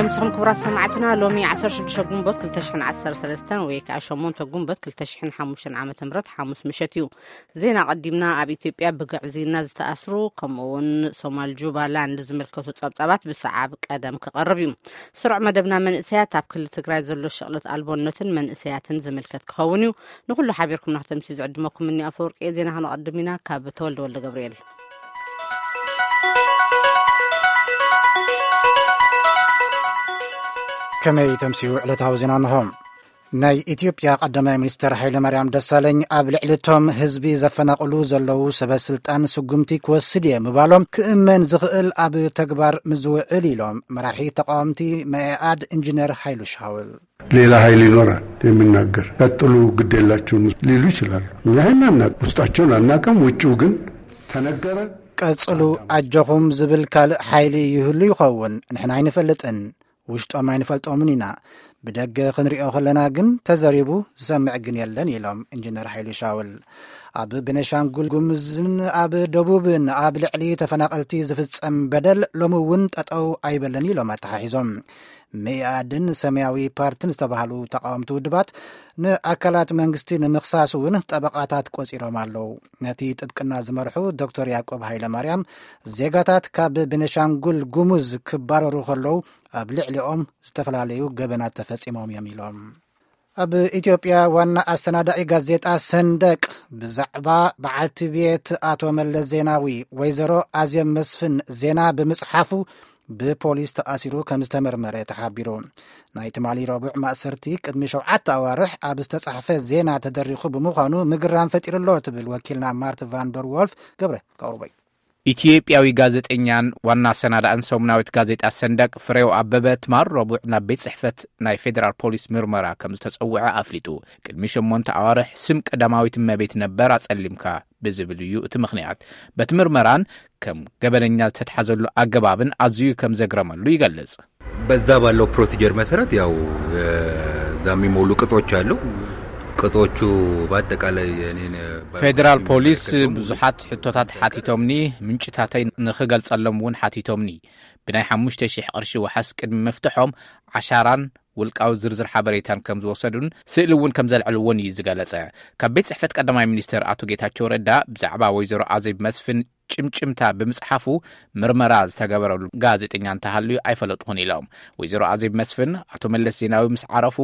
ምስኹም ክቡራት ሰማዕትና፣ ሎሚ ዓሰርተ ሽዱሽተ ጉንቦት ክልተ ሽሕን ዓሰርተ ሰለስተን ወይ ከዓ ሸሞንተ ጉንቦት ክልተ ሽሕን ሓሙሽተን ዓመተ ምህረት ሓሙስ ምሸት እዩ። ዜና ቀዲምና። ኣብ ኢትዮጵያ ብግዕዝይና ዝተኣስሩ ከምኡ እውን ሶማል ጁባላንድ ዝምልከቱ ጸብጻባት ብሰዓብ ቀደም ክቐርብ እዩ። ስሩዕ መደብና መንእሰያት ኣብ ክልል ትግራይ ዘሎ ሸቕለት ኣልቦነትን መንእሰያትን ዝምልከት ክኸውን እዩ። ንኹሉ ሓቢርኩም ናክተምሲ ዝዕድመኩም እኒ ኣፈወርቂ። ዜና ከነቐድም ኢና ካብ ተወልደ ወልደ ገብርኤል። ከመይ ተምስዩ ዕለታዊ ዜና እንሆ። ናይ ኢትዮጵያ ቀዳማይ ሚኒስተር ሃይለ ማርያም ደሳለኝ ኣብ ልዕሊ እቶም ህዝቢ ዘፈናቕሉ ዘለዉ ሰበ ስልጣን ስጉምቲ ክወስድ እየ ምባሎም ክእመን ዝኽእል ኣብ ተግባር ምዝውዕል ኢሎም መራሒ ተቃወምቲ መኢኣድ ኢንጂነር ሃይሉ ሻውል። ሌላ ኃይል ይኖራል የሚናገር። ቀጥሉ፣ ግድ የላችሁም ሊሉ ይችላሉ። እኛ ይሄን አናቅ፣ ውስጣቸውን አናቅም። ውጭው ግን ተነገረ። ቀጽሉ፣ ኣጆኹም ዝብል ካልእ ሓይሊ ይህሉ ይኸውን፣ ንሕና ኣይንፈልጥን። ውሽጦም ኣይንፈልጦምን ኢና። ብደገ ክንሪኦ ከለና ግን ተዘሪቡ ዝሰምዕ ግን የለን ኢሎም ኢንጂነር ሓይሉ ሻውል። ኣብ ቤኒሻንጉል ጉሙዝን ኣብ ደቡብን ኣብ ልዕሊ ተፈናቐልቲ ዝፍጸም በደል ሎሚ እውን ጠጠው ኣይበለን ኢሎም ኣተሓሒዞም። መኢኣድን ሰማያዊ ፓርትን ዝተባህሉ ተቃወምቲ ውድባት ንኣካላት መንግስቲ ንምኽሳስ እውን ጠበቓታት ቆጺሮም ኣለዉ። ነቲ ጥብቅና ዝመርሑ ዶክተር ያዕቆብ ሃይለ ማርያም፣ ዜጋታት ካብ ቤኒሻንጉል ጉሙዝ ክባረሩ ከለዉ ኣብ ልዕሊኦም ዝተፈላለዩ ገበናት ተፈጺሞም እዮም ኢሎም። ኣብ ኢትዮጵያ ዋና ኣሰናዳኢ ጋዜጣ ሰንደቅ ብዛዕባ በዓልቲ ቤት ኣቶ መለስ ዜናዊ ወይዘሮ ኣዜብ መስፍን ዜና ብምጽሓፉ ብፖሊስ ተኣሲሩ ከም ዝተመርመረ ተሓቢሩ። ናይ ትማሊ ረቡዕ ማእሰርቲ ቅድሚ ሸውዓተ ኣዋርሕ ኣብ ዝተጻሕፈ ዜና ተደሪኹ ብምዃኑ ምግራም ፈጢሩሎ ትብል ወኪልና ማርት ቫንደር ወልፍ ገብረ ከቕርቦ እዩ። ኢትዮጵያዊ ጋዜጠኛን ዋና ኣሰናዳእን ሰሙናዊት ጋዜጣ ሰንደቅ ፍሬው ኣበበ ትማል ረቡዕ ናብ ቤት ጽሕፈት ናይ ፌዴራል ፖሊስ ምርመራ ከም ዝተጸውዐ ኣፍሊጡ። ቅድሚ ሸሞንተ ኣዋርሕ ስም ቀዳማዊት እመቤት ነበር ኣጸሊምካ ብዝብል እዩ እቲ ምኽንያት። በቲ ምርመራን ከም ገበነኛ ዝተትሓዘሉ ኣገባብን ኣዝዩ ከም ዘግረመሉ ይገልጽ። በዛ ባለው ፕሮሲጀር መሰረት ያው እዛ የሚሞሉ ቅጾች አሉ። ቅጾቹ በአጠቃላይ እኔን ፌዴራል ፖሊስ ብዙሓት ሕቶታት ሓቲቶምኒ፣ ምንጭታተይ ንኽገልጸሎም እውን ሓቲቶምኒ። ብናይ ሓሙሽተ ሺሕ ቅርሺ ዋሕስ ቅድሚ ምፍትሖም ዓሻራን ውልቃዊ ዝርዝር ሓበሬታን ከም ዝወሰዱን ስእሊ እውን ከም ዘልዕልዎን እዩ ዝገለጸ። ካብ ቤት ጽሕፈት ቀዳማይ ሚኒስትር ኣቶ ጌታቸው ረዳ ብዛዕባ ወይዘሮ ኣዜብ መስፍን ጭምጭምታ ብምጽሓፉ ምርመራ ዝተገበረሉ ጋዜጠኛ እንተሃልዩ ኣይፈለጥኹን ኢሎም። ወይዘሮ ኣዜብ መስፍን ኣቶ መለስ ዜናዊ ምስ ዓረፉ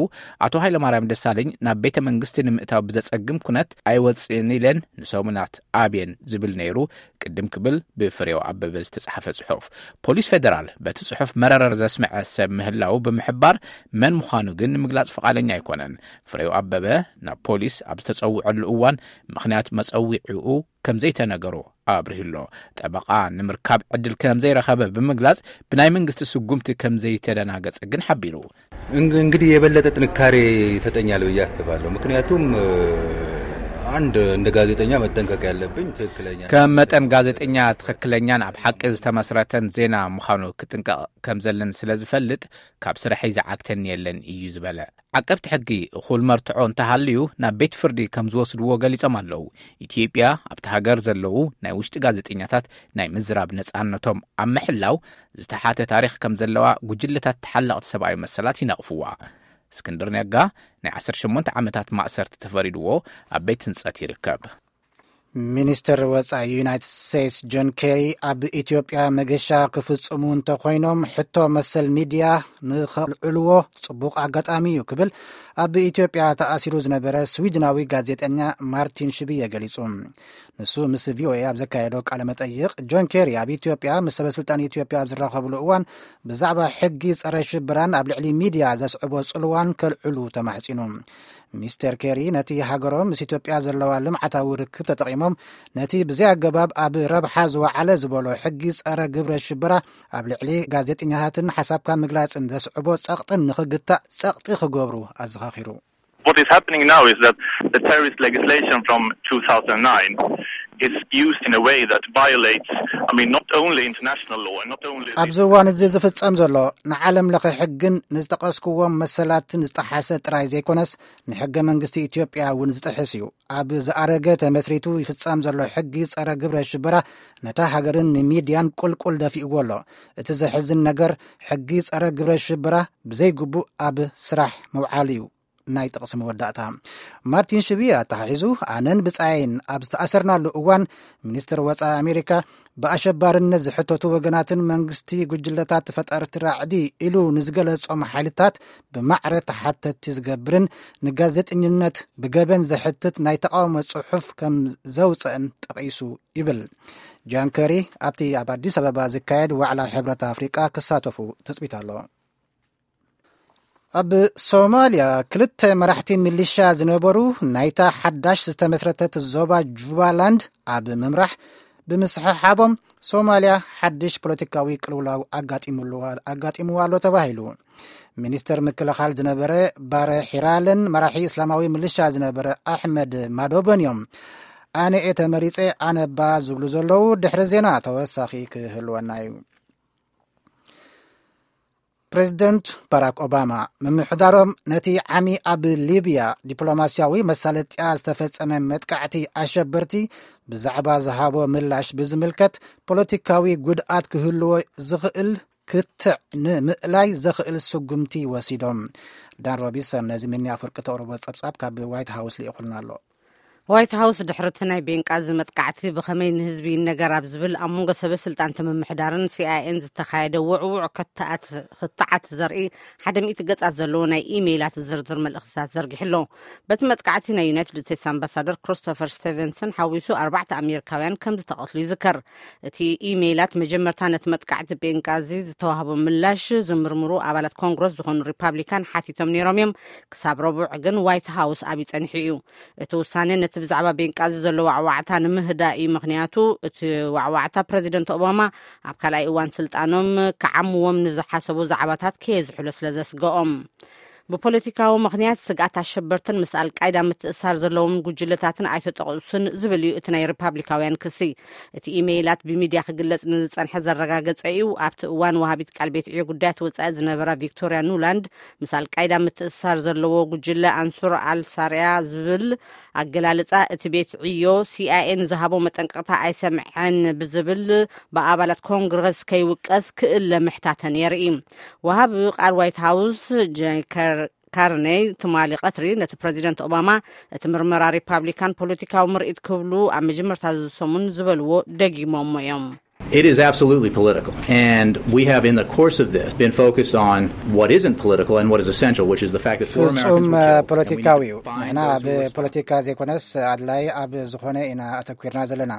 ኣቶ ሃይለማርያም ደሳለኝ ናብ ቤተ መንግስቲ ንምእታው ብዘጸግም ኩነት ኣይወጽእን ኢለን ንሰሙናት ኣብየን ዝብል ነይሩ። ቅድም ክብል ብፍሬው ኣበበ ዝተጻሕፈ ጽሑፍ። ፖሊስ ፌደራል በቲ ጽሑፍ መረረር ዘስምዐ ሰብ ምህላው ብምሕባር መን ምዃኑ ግን ንምግላጽ ፍቓደኛ ኣይኮነን። ፍሬው ኣበበ ናብ ፖሊስ ኣብ ዝተጸውዐሉ እዋን ምኽንያት መጸዊዕኡ ከም ዘይተነገሮ ኣብሪሁ ኣሎ። ጠበቓ ንምርካብ ዕድል ከም ዘይረኸበ ብምግላጽ ብናይ መንግስቲ ስጉምቲ ከም ዘይተደናገጸ ግን ሓቢሩ። እንግ-፣ እንግዲህ የበለጠ ጥንካሬ ይሰጠኛል ብዬ አስባለሁ። ምክንያቱም፣ እ፣ አንድ እንደ ጋዜጠኛ መጠንቀቅ ያለብኝ ትክክለኛ ከም መጠን ጋዜጠኛ ትኽክለኛን ኣብ ሓቂ ዝተመስረተን ዜና ምዃኑ ክጥንቀቕ ከም ዘለኒ ስለ ዝፈልጥ ካብ ስርሐይ ዝዓግተኒ የለን እዩ ዝበለ። ዓቀብቲ ሕጊ እኹል መርትዖ እንተሃልዩ ናብ ቤት ፍርዲ ከም ዝወስድዎ ገሊጾም ኣለዉ። ኢትዮጵያ ኣብቲ ሃገር ዘለዉ ናይ ውሽጢ ጋዜጠኛታት ናይ ምዝራብ ነጻነቶም ኣብ ምሕላው ዝተሓተ ታሪኽ ከም ዘለዋ ጉጅለታት ተሓለቕቲ ሰብኣዊ መሰላት ይነቕፍዋ። እስክንድር ነጋ ናይ ዓሰርተ ሸሞንተ ዓመታት ማእሰርቲ ተፈሪድዎ ኣብ ቤት ህንጸት ይርከብ። ሚኒስትር ወጻኢ ዩናይትድ ስቴትስ ጆን ኬሪ ኣብ ኢትዮጵያ መገሻ ክፍጽሙ እንተኾይኖም ሕቶ መሰል ሚድያ ንኸልዕልዎ ጽቡቕ ኣጋጣሚ እዩ ክብል ኣብ ኢትዮጵያ ተኣሲሩ ዝነበረ ስዊድናዊ ጋዜጠኛ ማርቲን ሽብየ ገሊጹ። ንሱ ምስ ቪኦኤ ኣብ ዘካየዶ ቃለ መጠይቕ፣ ጆን ኬሪ ኣብ ኢትዮጵያ ምስ ሰበስልጣን ኢትዮጵያ ኣብ ዝራኸብሉ እዋን ብዛዕባ ሕጊ ጸረ ሽብራን ኣብ ልዕሊ ሚድያ ዘስዕቦ ጽልዋን ከልዕሉ ተማሕጺኑ። ሚስተር ኬሪ ነቲ ሃገሮም ምስ ኢትዮጵያ ዘለዋ ልምዓታዊ ርክብ ተጠቒሞም ነቲ ብዘይ ኣገባብ ኣብ ረብሓ ዝወዓለ ዝበሎ ሕጊ ጸረ ግብረ ሽበራ ኣብ ልዕሊ ጋዜጠኛታትን ሓሳብካ ምግላጽን ዘስዕቦ ጸቕጥን ንኽግታእ ጸቕጢ ክገብሩ ኣዘኻኺሩ። What is happening now is that the terrorist legislation from two thousand nine It's used in a way that violates, I mean, not only international law and not only ኣብዚ እዋን እዚ ዝፍጸም ዘሎ ንዓለም ለኸ ሕግን ንዝጠቐስክዎም መሰላትን ዝጠሓሰ ጥራይ ዘይኮነስ፣ ንሕገ መንግስቲ ኢትዮጵያ እውን ዝጥሕስ እዩ። ኣብ ዝኣረገ ተመስሪቱ ይፍጸም ዘሎ ሕጊ ጸረ ግብረ ሽበራ ነታ ሃገርን ንሚድያን ቁልቁል ደፊእዎ ኣሎ። እቲ ዘሕዝን ነገር፣ ሕጊ ጸረ ግብረ ሽበራ ብዘይግቡእ ኣብ ስራሕ ምውዓሉ እዩ። ናይ ጥቕሲ መወዳእታ። ማርቲን ሽቢ ኣተሓሒዙ፣ ኣነን ብጻየይን ኣብ ዝተኣሰርናሉ እዋን፣ ሚኒስትር ወጻኢ ኣሜሪካ ብኣሸባርነት ዝሕተቱ ወገናትን መንግስቲ ጉጅለታት ፈጠርቲ ራዕዲ ኢሉ ንዝገለጾም ሓይልታት ብማዕረ ተሓተቲ ዝገብርን ንጋዜጠኝነት ብገበን ዘሕትት ናይ ተቓውሞ ጽሑፍ ከም ዘውጽእን ጠቒሱ ይብል። ጃን ከሪ ኣብቲ ኣብ ኣዲስ ኣበባ ዝካየድ ዋዕላ ሕብረት ኣፍሪቃ ክሳተፉ ትጽቢት ኣሎ። ኣብ ሶማልያ ክልተ መራሕቲ ሚሊሻ ዝነበሩ ናይታ ሓዳሽ ዝተመስረተት ዞባ ጁባላንድ ኣብ ምምራሕ ብምስሕሓቦም፣ ሶማልያ ሓድሽ ፖለቲካዊ ቅልውላው ኣጋጢምዋ ኣሎ ተባሂሉ። ሚኒስተር ምክልኻል ዝነበረ ባረ ሒራልን መራሒ እስላማዊ ሚሊሻ ዝነበረ ኣሕመድ ማዶበን እዮም። ኣነ እየ ተመሪጸ፣ ኣነባ ዝብሉ ዘለዉ ድሕሪ ዜና ተወሳኺ ክህልወና እዩ። ፕሬዚደንት ባራክ ኦባማ ምምሕዳሮም ነቲ ዓሚ ኣብ ሊብያ ዲፕሎማስያዊ መሳለጥያ ዝተፈጸመ መጥቃዕቲ ኣሸበርቲ ብዛዕባ ዝሃቦ ምላሽ ብዝምልከት፣ ፖለቲካዊ ጉድኣት ክህልዎ ዝኽእል ክትዕ ንምእላይ ዘኽእል ስጉምቲ ወሲዶም። ዳን ሮቢንሰን ነዚ ሚኒ ኣፍርቂ ተቕርቦ ጸብጻብ ካብ ዋይት ሃውስ ልኢኹልና ኣሎ። ዋይት ሃውስ ድሕርቲ ናይ ቤንቃዚ መጥቃዕቲ ብኸመይ ንህዝቢ ይነገር ኣብ ዝብል ኣብ መንጎ ሰበ ስልጣን ምምሕዳርን ሲኣይኤን ዝተኻየደ ውዕውዕ ክትዓት ዘርኢ ሓደ ሚእቲ ገጻት ዘለዎ ናይ ኢሜይላት ዝርዝር መልእኽትታት ዘርጊሑ ኣሎ። በቲ መጥቃዕቲ ናይ ዩናይትድ ስቴትስ ኣምባሳደር ክሪስቶፈር ስቴቨንሰን ሓዊሱ ኣርባዕተ ኣሜሪካውያን ከም ዝተቐትሉ ይዝከር። እቲ ኢሜይላት መጀመርታ ነቲ መጥቃዕቲ ቤንቃዚ ዝተዋህቦ ምላሽ ዝምርምሩ ኣባላት ኮንግረስ ዝኾኑ ሪፓብሊካን ሓቲቶም ነይሮም እዮም። ክሳብ ረቡዕ ግን ዋይት ሃውስ ኣብዩ ጸኒሑ እዩ። እቲ ውሳነ ነቲ ብዛዕባ ቤንቃዚ ዘሎ ዋዕዋዕታ ንምህዳእ እዩ። ምኽንያቱ እቲ ዋዕዋዕታ ፕረዚደንት ኦባማ ኣብ ካልኣይ እዋን ስልጣኖም ክዓምዎም ንዝሓሰቡ ዛዕባታት ከየዝሕሎ ስለ ዘስገኦም። ብፖለቲካዊ ምኽንያት ስግኣት ኣሸበርትን ምስ ኣልቃይዳ ምትእሳር ዘለዎም ጉጅለታትን ኣይተጠቕሱን ዝብል እዩ እቲ ናይ ሪፓብሊካውያን ክሲ። እቲ ኢሜይላት ብሚድያ ክግለጽ ንዝጸንሐ ዘረጋገጸ እዩ። ኣብቲ እዋን ወሃቢት ቃል ቤት ዕዮ ጉዳያት ወጻኢ ዝነበራ ቪክቶርያ ኑላንድ፣ ምስ ኣልቃይዳ ምትእሳር ዘለዎ ጉጅለ ኣንሱር ኣልሳርያ ዝብል ኣገላልጻ፣ እቲ ቤት ዕዮ ሲኣይኤ ንዝሃቦ መጠንቀቕታ ኣይሰምዐን ብዝብል ብኣባላት ኮንግረስ ከይውቀስ ክእለ ምሕታተን የርኢ። ወሃቢ ቃል ዋይት ሃውስ ጄከር ካርኔይ ትማሊ ቀትሪ ነቲ ፕረዚደንት ኦባማ እቲ ምርመራ ሪፓብሊካን ፖለቲካዊ ምርኢት ክብሉ ኣብ መጀመርታ ዝሰሙን ዝበልዎ ደጊሞሞ እዮም። It is absolutely political. And we have, in the course of this, been focused on what isn't political and what is essential, which is the fact that four Americans ፍጹም were killed. And we need to ፖለቲካዊ እዩ። find ንሕና those ኣብ who are ፖለቲካ ዘይኮነስ ኣድላይ ኣብ ዝኾነ ኢና ኣተኲርና ዘለና።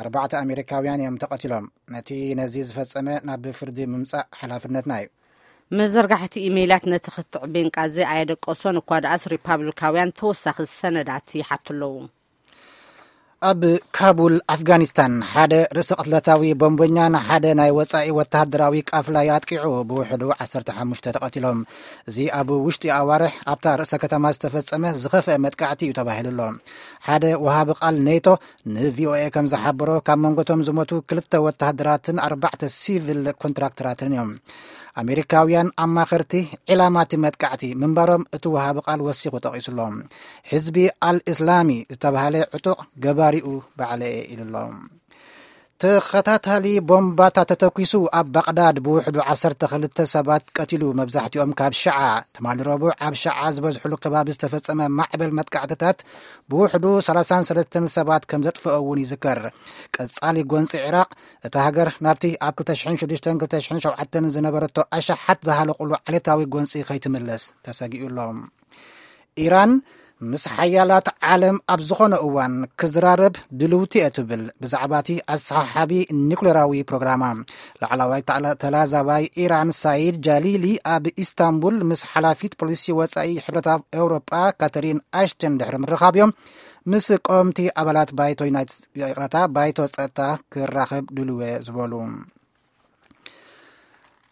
ኣርባዕተ ኣሜሪካውያን እዮም ተቐቲሎም። ነቲ ነዚ ዝፈጸመ ናብ ፍርዲ ምምጻእ ሓላፍነትና እዩ። መዘርጋሕቲ ኢሜይላት ነቲ ክትዕ ቤንቃዚ ኣየደቀሶን እኳ ደኣስ ሪፓብሊካውያን ተወሳኺ ሰነዳት ይሓቱ ኣለዉ። ኣብ ካቡል ኣፍጋኒስታን ሓደ ርእሰ ቅትለታዊ ቦምበኛ ንሓደ ናይ ወጻኢ ወተሃደራዊ ቃፍላ ኣጥቂዑ ብውሕዱ ዓሰርተ ሓሙሽተ ተቐቲሎም። እዚ ኣብ ውሽጢ ኣዋርሕ ኣብታ ርእሰ ከተማ ዝተፈጸመ ዝኸፍአ መጥቃዕቲ እዩ ተባሂሉ ኣሎ። ሓደ ወሃቢ ቃል ኔቶ ንቪኦኤ ከም ዝሓበሮ፣ ካብ መንጎቶም ዝሞቱ ክልተ ወተሃደራትን ኣርባዕተ ሲቪል ኮንትራክተራትን እዮም። ኣሜሪካውያን ኣማኸርቲ ዒላማቲ መጥቃዕቲ ምንባሮም እቲ ወሃቢ ቃል ወሲኹ ጠቒሱሎም። ሕዝቢ ኣል እስላሚ ዝተባህለ ዕጡቕ ገባሪኡ ባዕለየ ኢሉሎም። ተኸታታሊ ቦምባታት ተተኲሱ ኣብ ባቕዳድ ብውሕዱ ዓሰርተ ክልተ ሰባት ቀቲሉ፣ መብዛሕትኦም ካብ ሽዓ። ትማሊ ረቡዕ ኣብ ሽዓ ዝበዝሕሉ ከባቢ ዝተፈጸመ ማዕበል መጥቃዕትታት ብውሕዱ ሰላሳን ሰለስተን ሰባት ከም ዘጥፍኦ እውን ይዝከር። ቀጻሊ ጎንጺ ዒራቕ፣ እታ ሃገር ናብቲ ኣብ ክልተ ሽሕን ሽዱሽተን ክልተ ሽሕን ሸውዓተን ዝነበረቶ ኣሽሓት ዝሃለቑሉ ዓሌታዊ ጎንጺ ከይትምለስ ተሰጊኡ ኣሎ። ኢራን ምስ ሓያላት ዓለም ኣብ ዝኾነ እዋን ክዝራረብ ድልውቲ እየ ትብል። ብዛዕባ እቲ ኣሰሓሓቢ ኒኩሌራዊ ፕሮግራማ፣ ላዕለዋይ ተላ- ተላዛባይ ኢራን ሳይድ ጃሊሊ ኣብ ኢስታንቡል ምስ ሓላፊት ፖሊሲ ወጻኢ ሕብረት ኤውሮጳ ካተሪን ኣሽተን ድሕሪ ምርኻብ እዮም ምስ ቀወምቲ ኣባላት ባይቶ ዩናይትድ፣ ይቕረታ፣ ባይቶ ጸጥታ ክራኸብ ድልው እየ ዝበሉ።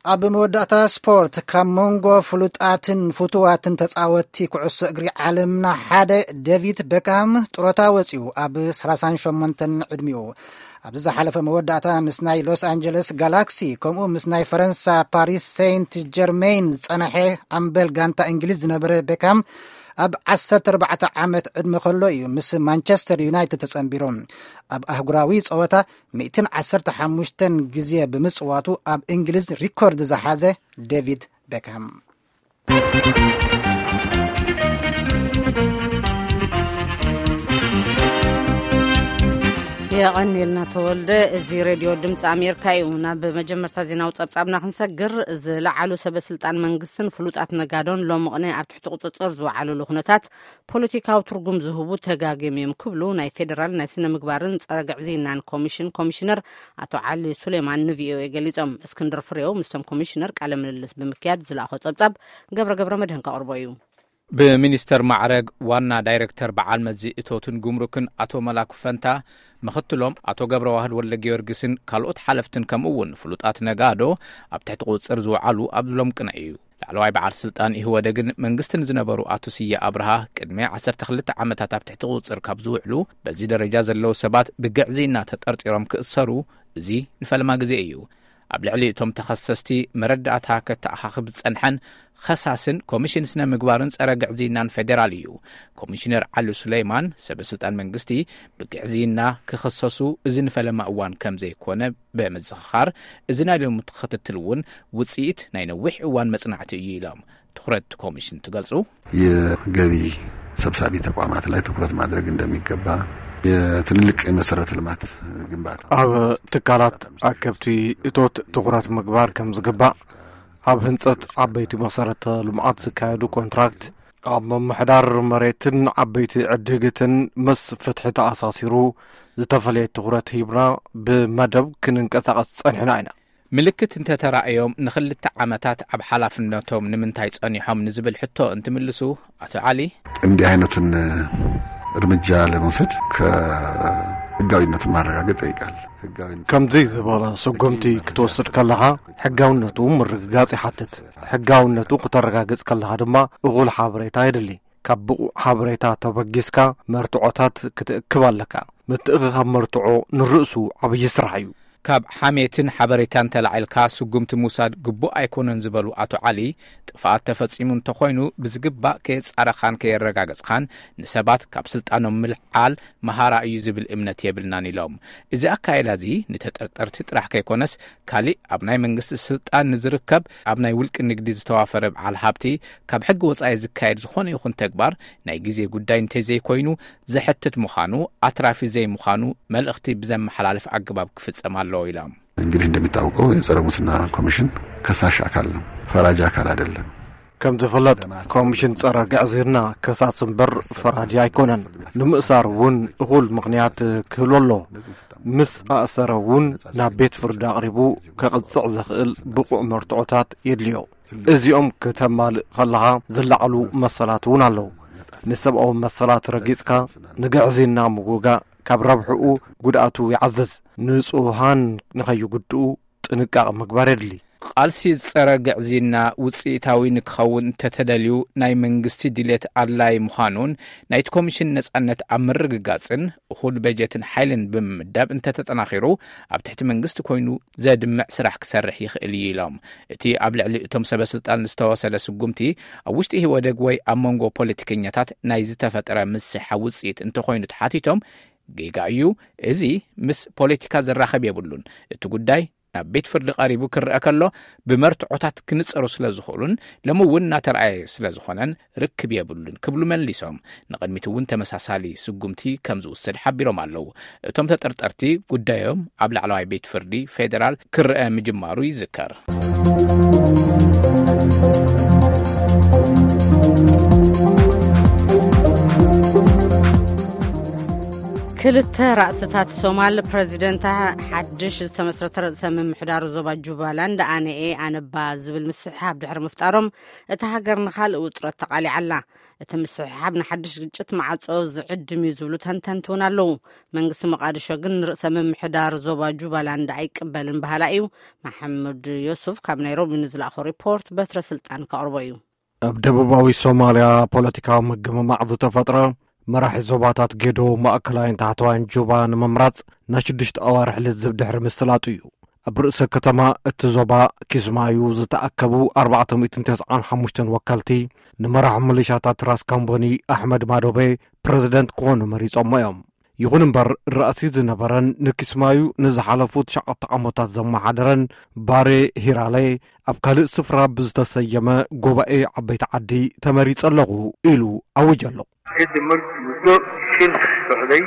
ኣብ መወዳእታ ስፖርት፣ ካብ መንጎ ፍሉጣትን ፍቱዋትን ተጻወትቲ ኩዕሶ እግሪ ዓለምና ሓደ ዴቪድ ቤክሃም ጥሮታ ወጺኡ ኣብ ሰላሳን ሸሞንተን ዕድሚኡ። ኣብዚ ዝሓለፈ መወዳእታ ምስ ናይ ሎስ ኣንጀለስ ጋላክሲ ከምኡ ምስ ናይ ፈረንሳ ፓሪስ ሴንት ጀርሜን ዝጸንሐ ኣምበል ጋንታ እንግሊዝ ዝነበረ ቤክሃም ኣብ ዓሰርተ ኣርባዕተ ዓመት ዕድመ ከሎ እዩ ምስ ማንቸስተር ዩናይትድ ተጸንቢሩ። ኣብ ኣህጉራዊ ጸወታ ሚእትን ዓሰርተ ሓሙሽተን ግዜ ብምጽዋቱ ኣብ እንግሊዝ ሪኮርድ ዝሓዘ ዴቪድ ቤክሃም። የቐንየልና ተወልደ። እዚ ሬድዮ ድምፂ ኣሜሪካ እዩ። ናብ መጀመርታ ዜናዊ ጸብጻብና ክንሰግር፣ ዝለዓሉ ሰበ ስልጣን መንግስትን ፍሉጣት ነጋዶን ሎሚ ቅነ ኣብ ትሕቲ ቁፅፅር ዝወዓሉሉ ኩነታት ፖለቲካዊ ትርጉም ዝህቡ ተጋግዮም እዮም ክብሉ ናይ ፌዴራል ናይ ስነ ምግባርን ጸረ ግዕዝይናን ኮሚሽን ኮሚሽነር ኣቶ ዓሊ ሱሌማን ንቪኦኤ ገሊጾም። እስክንድር ፍሬው ምስቶም ኮሚሽነር ቃለ ምልልስ ብምክያድ ዝለኣኾ ጸብጻብ ገብረ ገብረ መድህን ከቕርቦ እዩ። ብሚኒስተር ማዕረግ ዋና ዳይሬክተር በዓል መዚ እቶትን ጉምሩክን ኣቶ መላኩ ፈንታ፣ ምኽትሎም ኣቶ ገብረ ዋህድ ወልደ ጊዮርጊስን ካልኦት ሓለፍትን ከምኡ እውን ፍሉጣት ነጋዶ ኣብ ትሕቲ ቁፅፅር ዝወዓሉ ኣብ ሎም ቅነ እዩ። ላዕለዋይ በዓል ስልጣን ኢህወደግን መንግስትን ዝነበሩ ኣቶ ስየ ኣብርሃ ቅድሚ ዓሰርተ ክልተ ዓመታት ኣብ ትሕቲ ቁፅፅር ካብ ዝውዕሉ በዚ ደረጃ ዘለዉ ሰባት ብግዕዝይና ተጠርጢሮም ክእሰሩ እዚ ንፈለማ ግዜ እዩ። ኣብ ልዕሊ እቶም ተኸሰስቲ መረዳእታ ከተኣኻኽብ ዝጸንሐን ኸሳስን ኮሚሽን ስነ ምግባርን ጸረ ግዕዝይናን ፌዴራል እዩ። ኮሚሽነር ዓሊ ሱለይማን ሰበ ስልጣን መንግስቲ ብግዕዝይና ክኸሰሱ እዚ ንፈለማ እዋን ከም ዘይኮነ ብምዝኽኻር፣ እዚ ናይ ሎሚ ክትትል እውን ውጽኢት ናይ ነዊሕ እዋን መጽናዕቲ እዩ ኢሎም። ትኹረት ኮሚሽን ትገልጹ። የገቢ ሰብሳቢ ተቋማት ላይ ትኩረት ማድረግ እንደሚገባ፣ የትልልቅ የመሰረተ ልማት ግንባታ ኣብ ትካላት ኣከብቲ እቶት ትኹረት ምግባር ከም ዝግባእ፣ ኣብ ህንጸት ዓበይቲ መሰረተ ልምዓት ዝካየዱ ኮንትራክት፣ ኣብ ምምሕዳር መሬትን ዓበይቲ ዕድግትን ምስ ፍትሒ ተኣሳሲሩ ዝተፈለየ ትኹረት ሂብና ብመደብ ክንንቀሳቐስ ጸኒሕና ኢና። ምልክት እንተተራእዮም ንኽልተ ዓመታት ኣብ ሓላፍነቶም ንምንታይ ጸኒሖም ንዝብል ሕቶ እንትምልሱ፣ ኣቶ ዓሊ፣ እንዲህ አይነቱን እርምጃ ለመውሰድ ከህጋዊነቱን ማረጋገጥ ይጠይቃል። ህጋዊነት ከምዚ ዝበለ ስጉምቲ ክትወስድ ከለኻ ሕጋውነቱ ምርግጋጽ ይሓትት። ሕጋውነቱ ክተረጋግጽ ከለኻ ድማ እኹል ሓበሬታ የድሊ። ካብ ብቑዕ ሓበሬታ ተበጊስካ መርትዖታት ክትእክብ ኣለካ። ምትእኽኻብ መርትዖ ንርእሱ ዓብዪ ስራሕ እዩ። ካብ ሓሜትን ሓበሬታን ተላዒልካ ስጉምቲ ምውሳድ ግቡእ ኣይኮነን ዝበሉ ኣቶ ዓሊ፣ ጥፍኣት ተፈጺሙ እንተኾይኑ ብዝግባእ ከየጻረኻን ከየረጋገጽኻን ንሰባት ካብ ስልጣኖም ምልዓል መሃራ እዩ ዝብል እምነት የብልናን ኢሎም። እዚ ኣካይዳ እዚ ንተጠርጠርቲ ጥራሕ ከይኮነስ፣ ካሊእ ኣብ ናይ መንግስቲ ስልጣን ንዝርከብ፣ ኣብ ናይ ውልቂ ንግዲ ዝተዋፈረ በዓል ሃብቲ፣ ካብ ሕጊ ወጻኢ ዝካየድ ዝኾነ ይኹን ተግባር ናይ ግዜ ጉዳይ እንተዘይኮይኑ ዘሕትት ምዃኑ፣ ኣትራፊ ዘይምዃኑ መልእኽቲ ብዘመሓላልፍ ኣገባብ ክፍጸም ኣለዎ ኢሎም። እንግዲህ እንደሚታወቀው የጸረ ሙስና ኮሚሽን ከሳሽ አካል ነው፣ ፈራጅ አካል አይደለም። ከም ዝፍለጥ፣ ኮሚሽን ጸረ ግዕዝይና ከሳስ እምበር ፈራዲ ኣይኮነን። ንምእሳር እውን እኹል ምኽንያት ክህሉ ኣሎ። ምስ ኣእሰረ እውን ናብ ቤት ፍርዲ ኣቕሪቡ ከቕጽዕ ዘኽእል ብቑዕ መርትዖታት የድልዮ። እዚኦም ክተማልእ ከለኻ ዝለዓሉ መሰላት እውን ኣለዉ። ንሰብኣዊ መሰላት ረጊጽካ ንግዕዝይና ምውጋእ ካብ ረብሕኡ ጉድኣቱ ይዓዝዝ። ንጹሃን ንኸይጉድኡ ጥንቃቐ ምግባር የድሊ። ቃልሲ ጸረ ግዕዝይና ውጽኢታዊ ንክኸውን እንተተደልዩ ናይ መንግስቲ ድሌት ኣድላይ ምዃኑን ናይቲ ኮሚሽን ነጻነት ኣብ ምርግጋጽን እኹል በጀትን ሓይልን ብምምዳብ እንተተጠናኺሩ ኣብ ትሕቲ መንግስቲ ኮይኑ ዘድምዕ ስራሕ ክሰርሕ ይኽእል እዩ ኢሎም። እቲ ኣብ ልዕሊ እቶም ሰበ ስልጣን ዝተወሰደ ስጉምቲ ኣብ ውሽጢ ኢህወደግ ወይ ኣብ መንጎ ፖለቲከኛታት ናይ ዝተፈጠረ ምስሕሓብ ውጽኢት እንተኾይኑ ተሓቲቶም፣ ጌጋ እዩ፣ እዚ ምስ ፖለቲካ ዘራኸብ የብሉን። እቲ ጉዳይ ናብ ቤት ፍርዲ ቀሪቡ ክረአ ከሎ ብመርትዖታት ክንጸሩ ስለ ዝኽእሉን ሎሚ እውን እናተረኣየ ስለ ዝኾነን ርክብ የብሉን ክብሉ መሊሶም። ንቕድሚት እውን ተመሳሳሊ ስጉምቲ ከም ዝውሰድ ሓቢሮም ኣለዉ። እቶም ተጠርጠርቲ ጉዳዮም ኣብ ላዕለዋይ ቤት ፍርዲ ፌዴራል ክረአ ምጅማሩ ይዝከር። ክልተ ራእስታት ሶማል፣ ፕረዚደንታ ሓድሽ ዝተመስረተ ርእሰ ምምሕዳር ዞባ ጁባላንድ ኣነኤ ኣነባ ዝብል ምስሕሓብ ድሕሪ ምፍጣሮም፣ እታ ሃገር ንኻልእ ውጥረት ተቓሊዓ ኣላ። እቲ ምስሕሓብ ንሓድሽ ግጭት ማዕጾ ዝዕድም እዩ ዝብሉ ተንተንቲ እውን ኣለዉ። መንግስቲ ሞቓድሾ ግን ንርእሰ ምምሕዳር ዞባ ጁባላንድ ኣይቅበልን በሃላ እዩ። መሓመድ ዮሱፍ ካብ ናይሮቢ ንዝለኣኾ ሪፖርት በትረ ስልጣን ከቕርቦ እዩ። ኣብ ደቡባዊ ሶማልያ ፖለቲካዊ ምግምማዕ ዝተፈጥረ፣ መራሒ ዞባታት ጌዶ፣ ማእከላይን ታሕተዋይን ጁባ ንምምራጽ ናይ ሽዱሽተ ኣዋርሕ ልዝብ ድሕሪ ምስላጡ እዩ። ኣብ ርእሰ ከተማ እቲ ዞባ ኪስማዩ ዝተኣከቡ ኣርባዕተ ሚእትን ተስዓን ሓሙሽተን ወከልቲ፣ ንመራሒ ሚሊሻታት ራስ ካምቦኒ ኣሕመድ ማዶቤ ፕረዚደንት ክኾኑ መሪጾሞ እዮም። ይኹን እምበር፣ ራእሲ ዝነበረን ንኪስማዩ ንዝሓለፉ ትሽዓተ ዓመታት ዘመሓደረን ባሬ ሂራሌ፣ ኣብ ካልእ ስፍራ ብዝተሰየመ ጉባኤ ዓበይቲ ዓዲ ተመሪጸ ኣለኹ ኢሉ ኣዊጀ ኣሎ። Kadib markii muddo shil socday,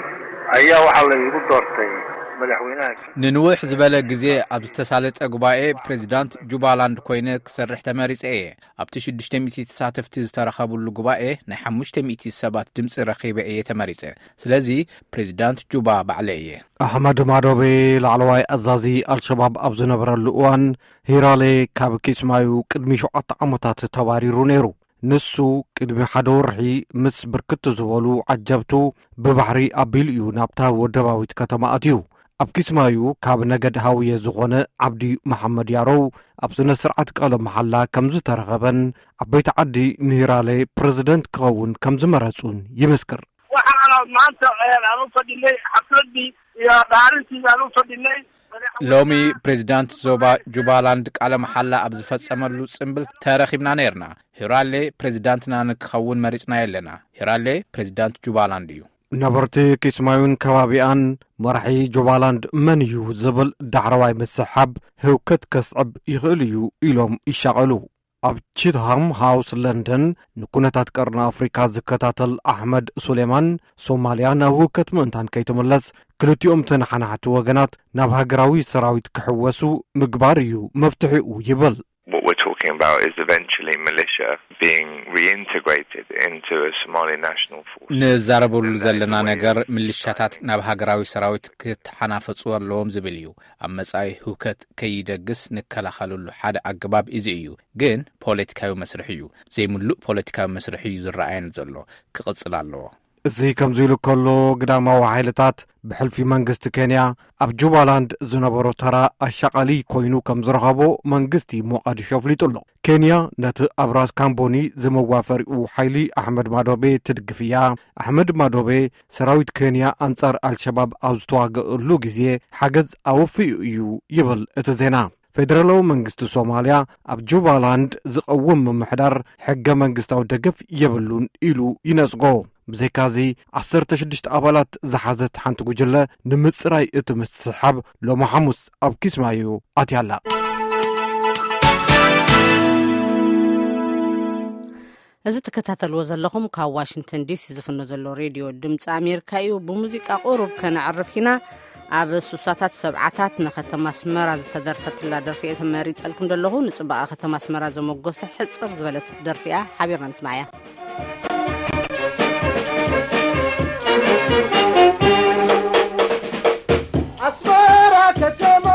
ayaa waxaa la igu doortay madaxweynaha. ንንውሕ ዝበለ ግዜ ኣብ ዝተሳለጠ ጉባኤ ፕሬዚዳንት ጁባላንድ ኮይነ ክሰርሕ ተመሪጸ እየ። ኣብቲ ሽዱሽተ ሚእቲ ተሳተፍቲ ዝተረኸብሉ ጉባኤ ናይ ሓሙሽተ ሚእቲ ሰባት ድምፂ ረኺበ እየ ተመሪጸ። ስለዚ ፕሬዚዳንት ጁባ ባዕለ እየ። ኣሕመድ ማዶቤ፣ ላዕለዋይ ኣዛዚ ኣልሸባብ ኣብ ዝነበረሉ እዋን፣ ሂራሌ ካብ ኪስማዩ ቅድሚ ሸውዓተ ዓመታት ተባሪሩ ነይሩ። ንሱ ቅድሚ ሓደ ወርሒ ምስ ብርክት ዝበሉ ዓጀብቱ ብባሕሪ ኣቢሉ እዩ ናብታ ወደባዊት ከተማ ኣትዩ። ኣብ ኪስማዩ ካብ ነገድ ሃውየ ዝኾነ ዓብዲ መሓመድ ያሮው ኣብ ስነ ስርዓት ቃለ መሓላ ከም ዝተረኸበን፣ ዓበይቲ ዓዲ ንሂራሌ ፕረዚደንት ክኸውን ከም ዝመረጹን ይምስክር። Waxaan maanta, eh, aan u fadhinay xafladdii iyo dhaarintii aan u fadhinay. ሎሚ ፕሬዚዳንት ዞባ ጁባላንድ ቃለ መሓላ ኣብ ዝፈጸመሉ ጽምብል ተረኺብና ነይርና። ሂራሌ ፕሬዚዳንትና ንክኸውን መሪጽና የለና። ሂራሌ ፕሬዚዳንት ጁባላንድ እዩ። ነበርቲ ኪስማዩን ከባቢኣን፣ መራሒ ጁባላንድ መን እዩ ዝብል ዳሕረዋይ ምስሓብ ህውከት ከስዕብ ይኽእል እዩ ኢሎም ይሻቐሉ። ኣብ ቺትሃም ሃውስ ለንደን ንኩነታት ቀርኒ ኣፍሪካ ዝከታተል ኣሕመድ ሱሌማን፣ ሶማልያ ናብ ህውከት ምእንታን ከይትምለስ፣ ክልቲኦም ተነሓናሕቲ ወገናት ናብ ሃገራዊ ሰራዊት ክሕወሱ ምግባር እዩ መፍትሒኡ ይብል። What we're talking about is eventually militia being reintegrated into a Somali national force. ንዛረበሉ ዘለና ነገር ምልሻታት ናብ ሃገራዊ ሰራዊት ክተሓናፈጹ ኣለዎም ዝብል እዩ። ኣብ መጻኢ ህውከት ከይደግስ ንከላኸለሉ ሓደ ኣገባብ እዚ እዩ። ግን ፖለቲካዊ መስርሕ እዩ። ዘይምሉእ ፖለቲካዊ መስርሕ እዩ ዝረኣየን ዘሎ። ክቕጽል ኣለዎ። እዚ ከምዚ ኢሉ ከሎ፣ ግዳማዊ ሓይልታት ብሕልፊ መንግስቲ ኬንያ ኣብ ጁባላንድ ዝነበሮ ተራ ኣሻቓሊ ኮይኑ ከም ዝረኸቦ መንግስቲ ሞቓዲሾ ኣፍሊጡ ኣሎ። ኬንያ ነቲ ኣብ ራስ ካምቦኒ ዝመዋፈሪኡ ሓይሊ ኣሕመድ ማዶቤ ትድግፍ እያ። ኣሕመድ ማዶቤ፣ ሰራዊት ኬንያ ኣንጻር ኣልሸባብ ኣብ ዝተዋገእሉ ግዜ ሓገዝ ኣወፊኡ እዩ ይብል እቲ ዜና። ፌደራላዊ መንግስቲ ሶማልያ ኣብ ጁባላንድ ዝቐውም ምምሕዳር ሕገ መንግስታዊ ደገፍ የብሉን ኢሉ ይነጽጎ። ብዘይካዚ፣ ዓሰርተ ሽዱሽተ ኣባላት ዝሓዘት ሓንቲ ጉጅለ ንምጽራይ እቲ ምስሕሓብ ሎሚ ሓሙስ ኣብ ኪስማዩ ኣትያ ኣላ። እዚ ትከታተልዎ ዘለኹም ካብ ዋሽንግተን ዲሲ ዝፍኖ ዘሎ ሬድዮ ድምፂ ኣሜሪካ እዩ። ብሙዚቃ ቁሩብ ከነዕርፍ ኢና። ኣብ ሱሳታት ሰብዓታት ንከተማ ኣስመራ ዝተደርፈትላ ደርፊ እየ ተመሪጸልኩም ዘለኹ። ንጽባቐ ከተማ ኣስመራ ዘመጎሰ ሕጽር ዝበለት ደርፊ እያ። ሓቢርና ንስማዕያ። ኣስመራ ከተማ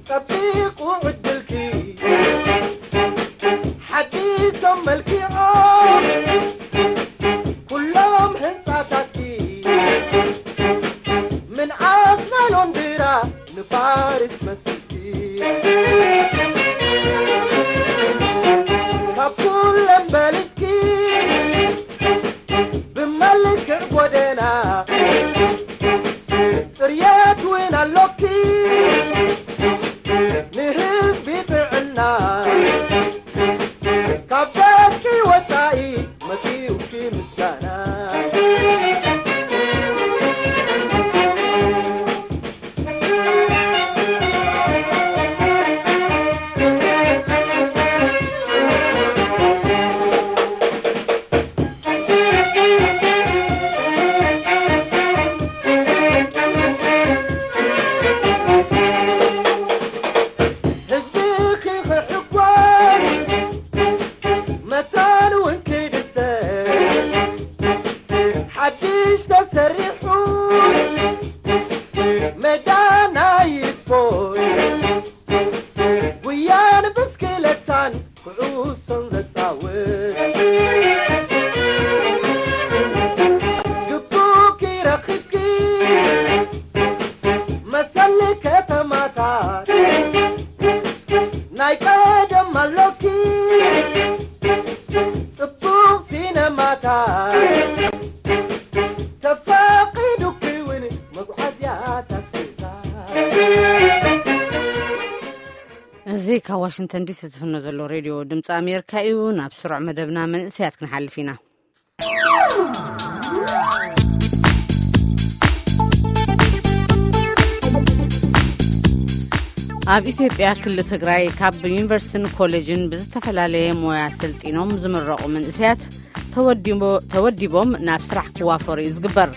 ጸቢቑ ዕድልኪ፣ ሓዲሶም መልኪዖም ኩሎም ህንጻታትኪ። ምንኣስ ናይ ሎንድራ ንፋርስ መስልኪ፣ ካብ ኩለን በለ ኣይቀደም ኣሎኪ ጽቡቕ ሲነማታት ተፋቒዱኪ እውን መጓዓዝያ ታክሲታት። እዚ ካብ ዋሽንግተን ዲሲ ዝፍኖ ዘሎ ሬድዮ ድምፂ ኣሜሪካ እዩ። ናብ ስሩዕ መደብና መንእሰያት ክንሓልፍ ኢና። ኣብ ኢትዮጵያ ክልል ትግራይ ካብ ዩኒቨርሲቲን ኮሌጅን ብዝተፈላለየ ሞያ ሰልጢኖም ዝምረቑ መንእሰያት ተወዲቦ- ተወዲቦም ናብ ስራሕ ክዋፈሩ እዩ ዝግበር።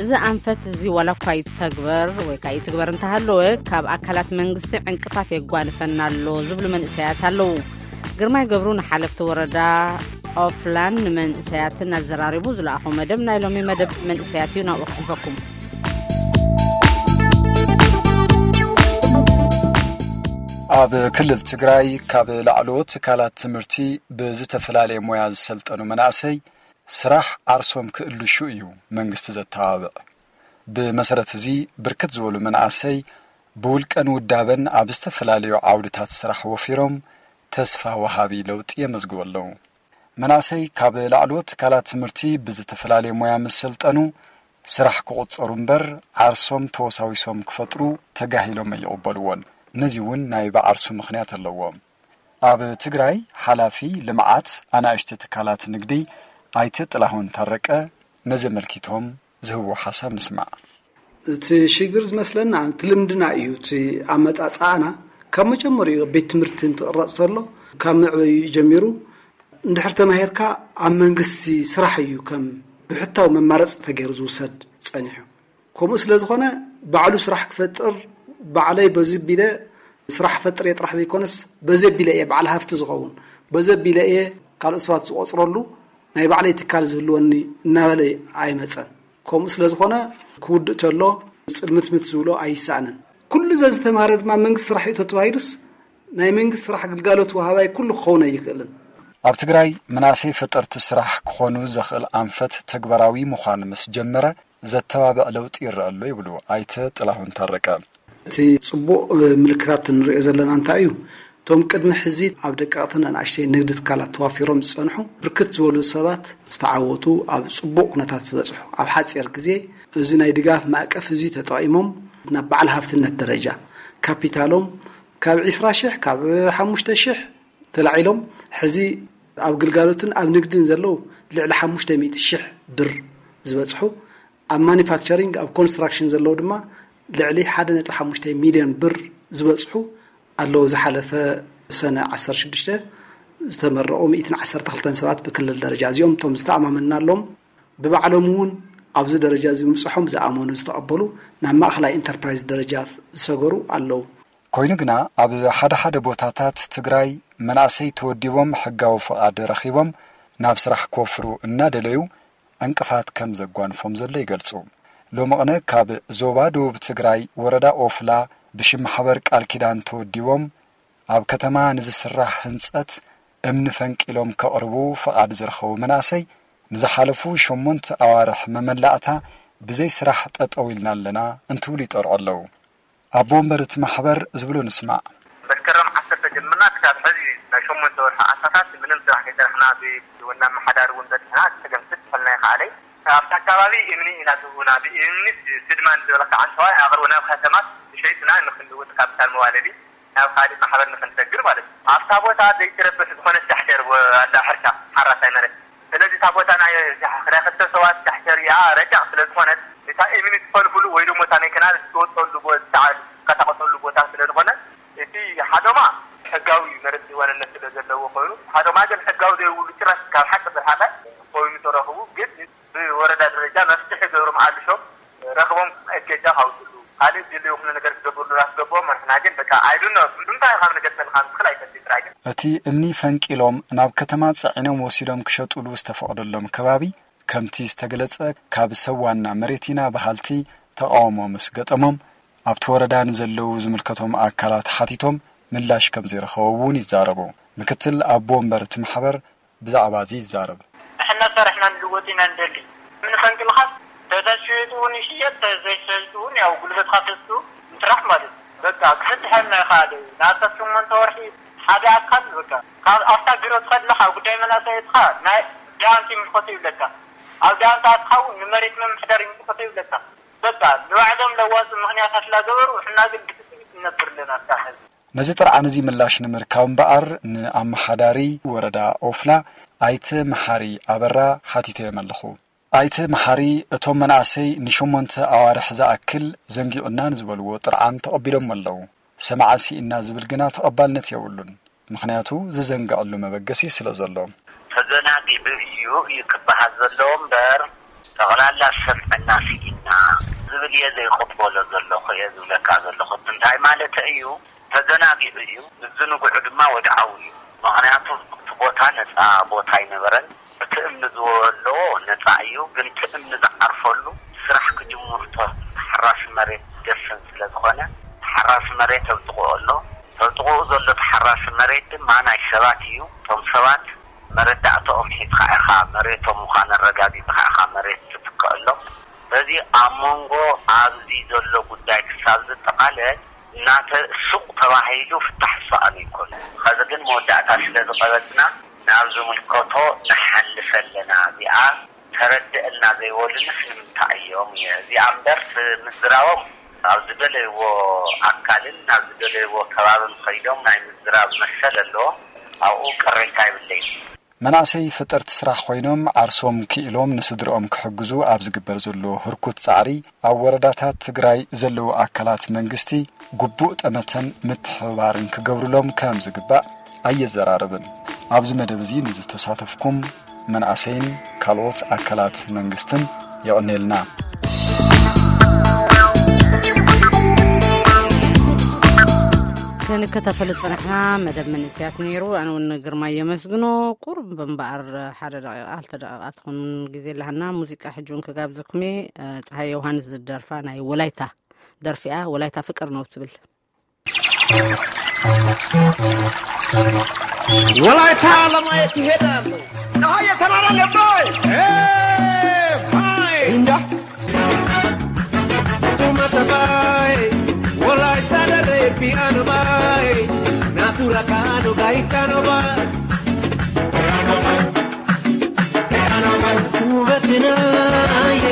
እዚ ኣንፈት እዚ ዋላ እኳ ይተግበር ወይ ከዓ ይትግበር እንተሃለወ ካብ ኣካላት መንግስቲ ዕንቅፋት የጓንፈና ኣሎ ዝብሉ መንእሰያት ኣለዉ። ግርማይ ገብሩ ንሓለፍቲ ወረዳ ኦፍላን ንመንእሰያትን ኣዘራሪቡ ዝለኣኾ መደብ ናይ ሎሚ መደብ መንእሰያት እዩ። ናብኡ ክሕልፈኩም። ኣብ ክልል ትግራይ ካብ ላዕለዎት ትካላት ትምህርቲ ብዝተፈላለየ ሞያ ዝሰልጠኑ መናእሰይ ስራሕ ዓርሶም ክእልሹ እዩ መንግስቲ ዘተባብዕ። ብመሰረት እዚ ብርክት ዝበሉ መናእሰይ ብውልቀን ውዳበን ኣብ ዝተፈላለዩ ዓውድታት ስራሕ ወፊሮም ተስፋ ወሃቢ ለውጢ የመዝግቡ ኣለዉ። መናእሰይ ካብ ላዕለዎት ትካላት ትምህርቲ ብዝተፈላለየ ሞያ ምስ ሰልጠኑ ስራሕ ክቑጸሩ እምበር ዓርሶም ተወሳዊሶም ክፈጥሩ ተጋሂሎም ኣይቕበልዎን። ነዚ እውን ናይ ብዓርሱ ምኽንያት ኣለዎ። ኣብ ትግራይ ሓላፊ ልምዓት ኣናእሽቲ ትካላት ንግዲ ኣይተ ጥላሁን ታረቀ ነዚ ኣመልኪቶም ዝህብዎ ሓሳብ ንስማዕ። እቲ ሽግር ዝመስለና እቲ ልምድና እዩ። እቲ ኣመፃፅኣና ካብ መጀመሪኡ ቤት ትምህርቲ እንትቕረፅ ተሎ ካብ መዕበዩ ጀሚሩ እንድሕር ተማሂርካ ኣብ መንግስቲ ስራሕ እዩ ከም ብሕታዊ መማረፂ ተገይሩ ዝውሰድ ፀኒሑ። ከምኡ ስለ ዝኾነ ባዕሉ ስራሕ ክፈጥር ባዕለይ በዚ ቢለ ስራሕ ፈጥር እየ ጥራሕ ዘይኮነስ በዚ ቢለ እየ በዓል ሃፍቲ ዝኸውን በዚ ቢለ እየ ካልኦት ሰባት ዝቆፅረሉ ናይ ባዕለይ ትካል ዝህልወኒ እናበለ ኣይመፀን። ከምኡ ስለ ዝኾነ ክውድእ ተሎ ጽልምትምት ዝብሎ ኣይሰኣንን። ኩሉ ዘዝተማረ ድማ መንግስቲ ስራሕ እዩ ተተባሂሉስ ናይ መንግስቲ ስራሕ ግልጋሎት ወሃባይ ኩሉ ክኸውን ኣይኽእልን። ኣብ ትግራይ መናእሰይ ፈጠርቲ ስራሕ ክኾኑ ዘኽእል ኣንፈት ተግባራዊ ምዃን ምስ ጀመረ ዘተባብዕ ለውጢ ይረአ ኣሎ ይብሉ ኣይተ ጥላሁን ታረቀ። እቲ ጽቡቕ ምልክታት እንሪኦ ዘለና እንታይ እዩ? እቶም ቅድሚ ሕዚ ኣብ ደቀቕትን ኣናእሽተይ ንግዲ ትካላት ተዋፊሮም ዝጸንሑ ብርክት ዝበሉ ሰባት ዝተዓወቱ ኣብ ጽቡቕ ኩነታት ዝበጽሑ ኣብ ሓጺር ግዜ እዚ ናይ ድጋፍ ማእቀፍ እዚ ተጠቒሞም ናብ በዓል ሃፍትነት ደረጃ ካፒታሎም ካብ ዕስራ ሽሕ ካብ ሓሙሽተ ሽሕ ተላዒሎም ሕዚ ኣብ ግልጋሎትን ኣብ ንግድን ዘለዉ ልዕሊ ሓሙሽተ ሚእቲ ሽሕ ብር ዝበጽሑ ኣብ ማኒፋክቸሪንግ ኣብ ኮንስትራክሽን ዘለዉ ድማ ልዕሊ ሓደ ነጥቢ ሓሙሽተ ሚልዮን ብር ዝበጽሑ ኣለዉ። ዝሓለፈ ሰነ ዓሰርተ ሽዱሽተ ዝተመረቑ ሚእትን ዓሰርተ ክልተን ሰባት ብክልል ደረጃ እዚኦም እቶም ዝተኣማመንናሎም ብባዕሎም እውን ኣብዚ ደረጃ እዚ ምብፅሖም ዝኣመኑ ዝተቐበሉ ናብ ማእኸላይ ኢንተርፕራይዝ ደረጃ ዝሰገሩ ኣለዉ። ኮይኑ ግና ኣብ ሓደ ሓደ ቦታታት ትግራይ መናእሰይ ተወዲቦም ሕጋዊ ፍቓድ ረኺቦም ናብ ስራሕ ክወፍሩ እናደለዩ ዕንቅፋት ከም ዘጓንፎም ዘሎ ይገልጹ። ሎሚ ቅነ ካብ ዞባ ደቡብ ትግራይ ወረዳ ኦፍላ ብሽም ማሕበር ቃል ኪዳን ተወዲቦም ኣብ ከተማ ንዝስራሕ ህንጸት እምኒ ፈንቂሎም ከቕርቡ ፍቓድ ዝረኸቡ መናእሰይ ንዝሓለፉ ሸሞንተ ኣዋርሕ መመላእታ ብዘይ ስራሕ ጠጠው ኢልና ኣለና እንትብሉ ይጠርዑ ኣለዉ። ኣቦ ወንበር እቲ ማሕበር ዝብሉ ንስማዕ። መስከረም ዓሰርተ ጀምርና ክሳብ ሕዚ ናይ ሸሞንተ ወርሒ ዓሳታት ምንም ስራሕ ከይሰራሕና ብወና መሓዳሪ እውን በፅሕና ፀገም ስድ ፈልና ይኸኣለይ ኣብቲ ኣካባቢ እምኒ ኢና ትህቡና ብእምኒ ስድማን ዝበለካ ዓንተዋይ ኣቕርቡ ናብ ከተማት ሸይጥና ንክንልውጥ ካፒታል መዋለዲ ናብ ካልእ ማሕበር ንክንሰግር ማለት እዩ። ኣብታ ቦታ ዘይትረብሕ ዝኾነ ዳሕደር ኣላ ሕርሻ ሓራሳይ መሬት። ስለዚ እታ ቦታ ናይ ክልተ ሰባት ዳሕደር እያ ረጃቕ ስለ ዝኾነት እታ እምኒ ትፈልፍሉ ወይ ደግሞ እታ ናይ ከናል ትወፀሉ ቦታ ትንቀሳቐሰሉ ቦታ ስለ ዝኾነ እቲ ሓዶማ ሕጋዊ መሬት ዋንነት ስለ ዘለዎ ኮይኑ ሓዶማ ግን ሕጋዊ ዘይብሉ ጭራሽ ካብ ሓቂ ዝረሓቐ ኮይኑ ተረኽቡ ግን ብወረዳ ደረጃ መፍትሒ ገብሮም ኣልሾም ረኽቦም እገጃ ካውፅሉ ካልእ ድልዩ ኩሉ ነገር ክገብርሉ ኣስገብኦም ንሕና ግን በቃ ኣይዱኖ እንታይ ካብ ንገጠም ካብ ትኽል ኣይፈልጥ ጥራይ ግን እቲ እምኒ ፈንቂሎም ናብ ከተማ ጸዒኖም ወሲዶም ክሸጡሉ ዝተፈቕደሎም ከባቢ ከምቲ ዝተገለጸ ካብ ሰብ ዋና መሬት ኢና በሃልቲ ተቓውሞ ምስ ገጠሞም ኣብቲ ወረዳ ንዘለዉ ዝምልከቶም ኣካላት ሓቲቶም ምላሽ ከም ዘይረኸቡ እውን ይዛረቡ። ምክትል ኣቦ ወንበር እቲ ማሕበር ብዛዕባ እዚ ይዛረብ። ንሕና ሰሪሕና ንልወጥ ኢና ንደሊ። ምን ፈንቅልኻስ ተዘይሸይጡ እውን ይሽየጥ፣ ተዘይሸይጡ እውን ያው ጉልበትኻ ተስኡ ምትራሕ ማለት እዩ። በቃ ክፍትሐልና ይኽኣል እዩ። ንኣስታት ሸሞንተ ወርሒ ሓደ ኣካል በቃ ካብ ኣብታ ቢሮ ትኸድና ካብ ጉዳይ መናእሰይ እትኻ ናይ ዳንት ይምልከቶ ይብለካ። ኣብ ዳንት ኣትኻ እውን ንመሬት ምምሕዳር ይምልከቶ ይብለካ። በቃ ንባዕሎም ለዋፂ ምኽንያታት ላገበሩ ንሕና ግን ብትፅቢት ንነብር ኣለና። ኣብታ ሕዚ ነዚ ጥርዓን እዚ ምላሽ ንምርካብ እምበኣር ንኣመሓዳሪ ወረዳ ኦፍላ ኣይተ መሓሪ ኣበራ ሓቲተዮም ኣለኹ። ኣይተ መሓሪ እቶም መናእሰይ ንሸሞንተ ኣዋርሕ ዝኣክል ዘንጊዑና ንዝበልዎ ጥርዓን ተቐቢሎሞ ኣለዉ። ሰማዓ ስኢና ዝብል ግና ተቐባልነት የብሉን። ምኽንያቱ ዝዘንግዐሉ መበገሲ ስለ ዘሎ። ተዘናጊዑ እዩ እዩ ክበሃል ዘለዎ እምበር ጠቕላላ ሰምዕና ስኢና ዝብል እየ ዘይቕበሎ ዘለኹ እየ ዝብለካ ዘለኹ። እንታይ ማለት እዩ? ተዘናጊዑ እዩ። ምዝንግዑ ድማ ወድዓዊ እዩ። ምኽንያቱ እቲ ቦታ ነፃ ቦታ ኣይነበረን። እቲ እምኒ ዝወለዎ ነፃ እዩ፣ ግን እቲ እምኒ ዝዓርፈሉ ስራሕ ክጅምር እቶ ተሓራሲ መሬት ደፈን ስለ ዝኾነ ተሓራሲ መሬት ተብጥቑኡ ኣሎ። ተብጥቑኡ ዘሎ ተሓራሲ መሬት ድማ ናይ ሰባት እዩ። እቶም ሰባት መረዳእተኦም ሒዝኻ ኢኻ መሬቶም ምዃን ኣረጋጊፅኻ ኢኻ መሬት ትትክአሎም። በዚ ኣብ መንጎ ኣብዚ ዘሎ ጉዳይ ክሳብ ዝጠቓለል እናተ ሱቕ ተባሂሉ ፍታሕ ዝሰኣኑ ይኮኑ። ኸዚ ግን መወዳእታ ስለ ዝቐበፅና ናብ ዝምልከቶ ንሓልፍ ኣለና። እዚኣ ተረድእና ዘይበሉንስ ንምንታይ እዮም እየ እዚኣ እምበር ምዝራቦም ኣብ ዝደለይዎ ኣካልን ናብ ዝደለይዎ ከባብን ኸይዶም ናይ ምዝራብ መሰል ኣለዎም። ኣብኡ ቅሬታ የብለይን። መናእሰይ ፈጠርቲ ስራሕ ኮይኖም ዓርሶም ክኢሎም ንስድርኦም ክሕግዙ ኣብ ዝግበር ዘሎ ህርኩት ፃዕሪ ኣብ ወረዳታት ትግራይ ዘለዉ ኣካላት መንግስቲ ግቡእ ጠመተን ምትሕብባርን ክገብሩሎም ከም ዝግባእ ኣየዘራርብን። ኣብዚ መደብ እዚ ንዝተሳተፍኩም መናእሰይን ካልኦት ኣካላት መንግስትን የቐኔልና። ክንከታተሎ ዝጸናሕና መደብ መንእሰያት ነይሩ። ኣነ እውን ግርማ የመስግኖ። ቁሩብ እምበኣር ሓደ ደቂቓ ክልተ ደቂቓ ትኾን ግዜ ኣለሃና። ሙዚቃ ሕጂ እውን ክጋብዘኩም እየ። ጸሃየ ዮሃንስ ዝደርፋ ናይ ወላይታ ደርፊ እያ። ወላይታ ፍቅር ነው ትብል። ወላይታ ለማየት ይሄዳለሁ። ፀሐይ የተራራ ነባይ ባይ እንዳ ቱመተባይ ወላይታ ደሬ ፒያኖ ባይ ናቱራ ካኖ ጋይታኖ ባይ ውበትናየ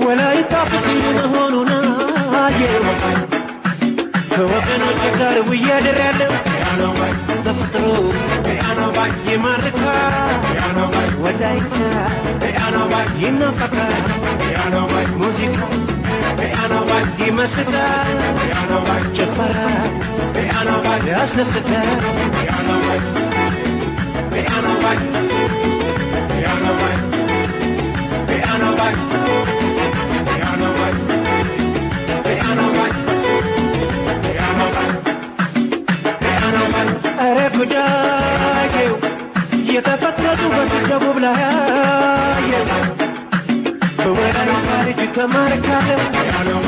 ወላይታ ፍቅር መሆኑና የው ከወገኖች ጋር ውያደር ያለው ተፈጥሮ ይማርካ ወላይታ ይናፈቃል ሙዚቃ ይመስጣል ጭፈራ ያስደስታል። ኧረ ጉዳዬው የተፈጥሮ ውበት ደቡብ ላይ አየው በወላይታ ልጅ ተማርካለሁ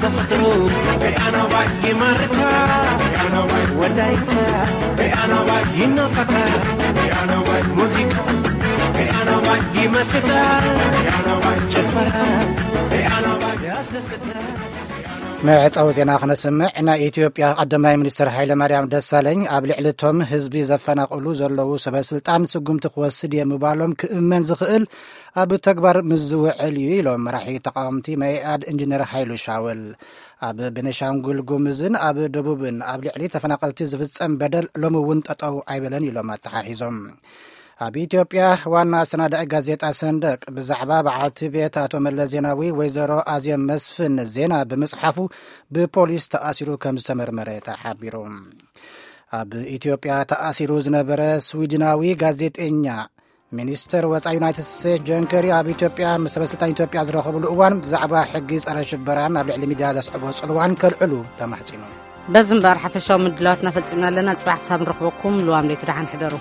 ተፈጥሮ ይማርካ ወላይታ ይናፈቃል ሙዚቃ ይመስጣል ጭፈራ ያስደስታል። መዕጸዊ ዜና ክነስምዕ። ናይ ኢትዮጵያ ቀዳማይ ሚኒስትር ሃይለማርያም ደሳለኝ ኣብ ልዕሊ እቶም ህዝቢ ዘፈናቕሉ ዘለዉ ሰበ ስልጣን ስጉምቲ ክወስድ እየ ምባሎም ክእመን ዝኽእል ኣብ ተግባር ምስ ዝውዕል እዩ ኢሎም መራሒ ተቃወምቲ መኢኣድ ኢንጂነር ሃይሉ ሻውል። ኣብ ቤኒሻንጉል ጉምዝን ኣብ ደቡብን ኣብ ልዕሊ ተፈናቐልቲ ዝፍጸም በደል ሎሚ እውን ጠጠው ኣይበለን ኢሎም ኣተሓሒዞም። ኣብ ኢትዮጵያ ዋና ኣሰናዳኢ ጋዜጣ ሰንደቅ ብዛዕባ በዓልቲ ቤት ኣቶ መለስ ዜናዊ ወይዘሮ ኣዜብ መስፍን ዜና ብምጽሓፉ ብፖሊስ ተኣሲሩ ከም ዝተመርመረ ተሓቢሩ። ኣብ ኢትዮጵያ ተኣሲሩ ዝነበረ ስዊድናዊ ጋዜጠኛ ሚኒስተር ወፃኢ ዩናይትድ ስቴትስ ጆን ከሪ ኣብ ኢትዮጵያ ምስ ሰበስልጣን ኢትዮጵያ ዝረኸብሉ እዋን ብዛዕባ ሕጊ ፀረ ሽበራን ኣብ ልዕሊ ሚድያ ዘስዕቦ ፅልዋን ከልዕሉ ተማሕፂኑ። በዚ እምበኣር ሓፈሻዊ ምድላዋትና ፈፂምና ኣለና። ፅባሕ ክሳብ ንረኽበኩም ልዋም ለይቲ ደሓን ሕደሩ።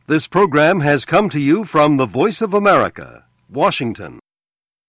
This program has come to you from the Voice of America, Washington.